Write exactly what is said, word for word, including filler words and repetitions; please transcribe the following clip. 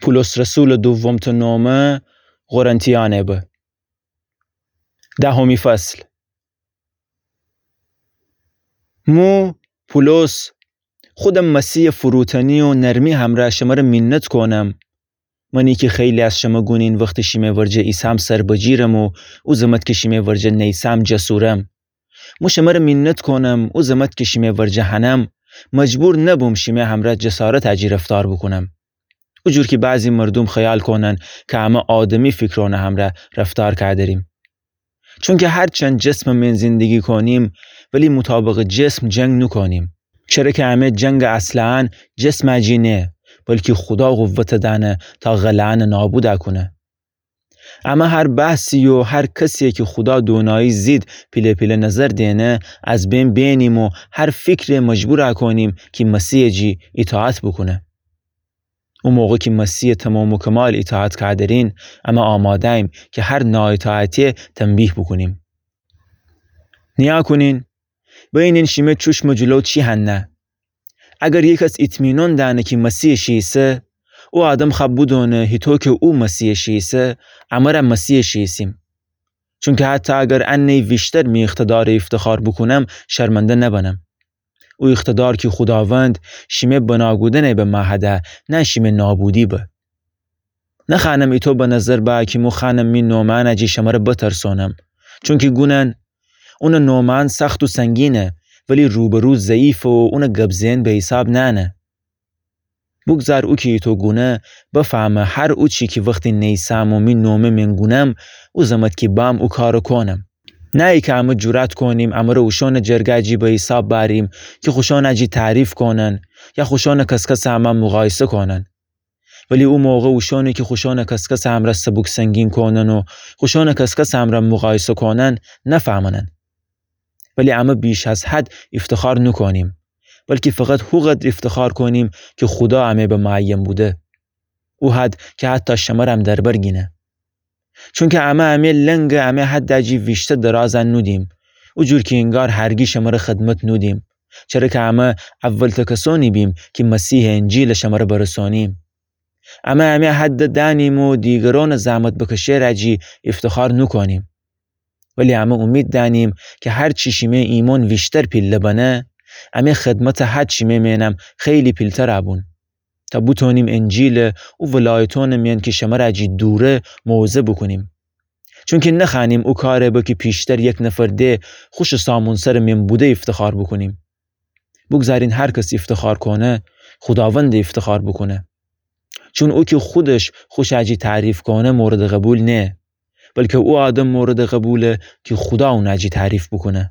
پولس رسولٚ دومتأ نومه قرنتیأنه به. دهمی فصل. مو پولس، خودم مسیحٚ فروتنی و نرمی همرأ شمره مینت کونم، منی کی خیلی از شمه گونین وختی شیمه ورجه ایسام سر بجیرم و او زمت کی شیمه ورجه نیسام جسورم. مو شمره مینت کونم، او زمت کی شیمه ورجه هنم، مجبور نبوم شیمه همرأ جسارتٚ جی رفتار بوکونم. او جور کی بعضی مردوم خیال کونن کی امه آدمی فیکرأنٚ همرأ رفتار کأدریم. چونکی هرچند جسمٚ مئن زندگی کونیم، ولی مطابقٚ جسم جنگ نوکونیم. چره کی امه جنگٚ اسلحه‌أن جسمٚ جی نه، بلکی خودا قوتٚ دأنه تا غله‌أنٚ نابودٚ کونه. امه هر بحثی و هر کسی کی خودا دونایی زید پیله پیله نظر دینه، از بین بینیم و هر فیکری مجبورٚ کونیم کی مسیحٚ جی ایطاعت بوکونه. او موقع کی مسیحٚ تمام و کمال ایطاعت کأدرین، امه آماده‌ییم کی هر ناایطاعتی تنبیه بوکونیم. نیأ کونین، بینین شیمه چوشمٚ جلو چی هنه. اگر یه کس ایطمینان دأنه کی مسیحٚ شی ایسه، او آدم خوأ بودونه هیطو کی او مسیحٚ شی ایسه، امه رأ مسیحٚ شی ایسیم. چونکی حتی اگر انه ویشتر می اقتدارٚ ایفتخار بوکونم، شرمنده نبنم. او اقتدار کی خوداوند شیمه بنا کودنٚ به محده، نه شیمه نابودی به. نخوأنم ایطو به نظر بأ کی مو خوأنم می نومأنٚ جی شمره بترسونم. چونکی گونن، اونٚ نومأن سخت و سنگینه، ولی روبرو ضعیفه و اونٚ گب زئن به حیساب نأنه. بوگذار او کی ایطو گونه، بفهمه هر اوچی کی وختی نیسام و می نومه مئن گونم، او زمت کی بام او کارٚ کونم. نه ایکه امه جرأت کونیم امره اوشانٚ جرگه جی به حیساب بأریم کی خوشانٚ جی تعریف کونن یا خوشانٚ کسکسٚ امه مقایسه کونن. ولی او موقع اوشانی کی خوشانٚ کسکسٚ امرأ سبوک سنگین کونن و خوشانٚ کسکسٚ امرأ مقایسه کونن نفهمنن. ولی امه بیش از حد ایفتخار نوکونیم، بلکی فقط هو قدر ایفتخار کونیم کی خودا امه به معین بوده. او حد کی حتی شمرم در بر گینه. چونکی امه امه لنگٚ امه حدٚ جی ویشتر درازٚ نودیم. او جور کی انگار هرگی شمره خدمت نودیم. چره کی امه اولتأ کسأنی بیم کی مسیحٚ انجیلٚ شمره برسانیم. امه امه حدٚ دأنیم و دیگرأنٚ زحمت بکشه‌یٚ جی ایفتخار نوکونیم. ولی امه اومید دأنیم کی هر چی شیمه ایمأن ویشتر پیله بنه، امه خدمتٚ حد شیمه مئنم خیلی پیلتر بون. تا بوتونیم انجیلٚ او ولایتأنٚ مئن کی شمرٚ جی دوره موعظه بوکونیم. چونکی نخوأنیم او کارٚ به کی پیشتر یک نفر ده خوشٚ سامونسرٚ مئن بوده ایفتخار بوکونیم. بوگذارین هر کس ایفتخار کونه، خوداوند ایفتخار بوکونه. چون او کی خودش خوشٚ جی تعریف کونه موردٚ قبول نه، بلکی او آدم موردٚ قبوله کی خودا اونٚ جی تعریف بوکونه.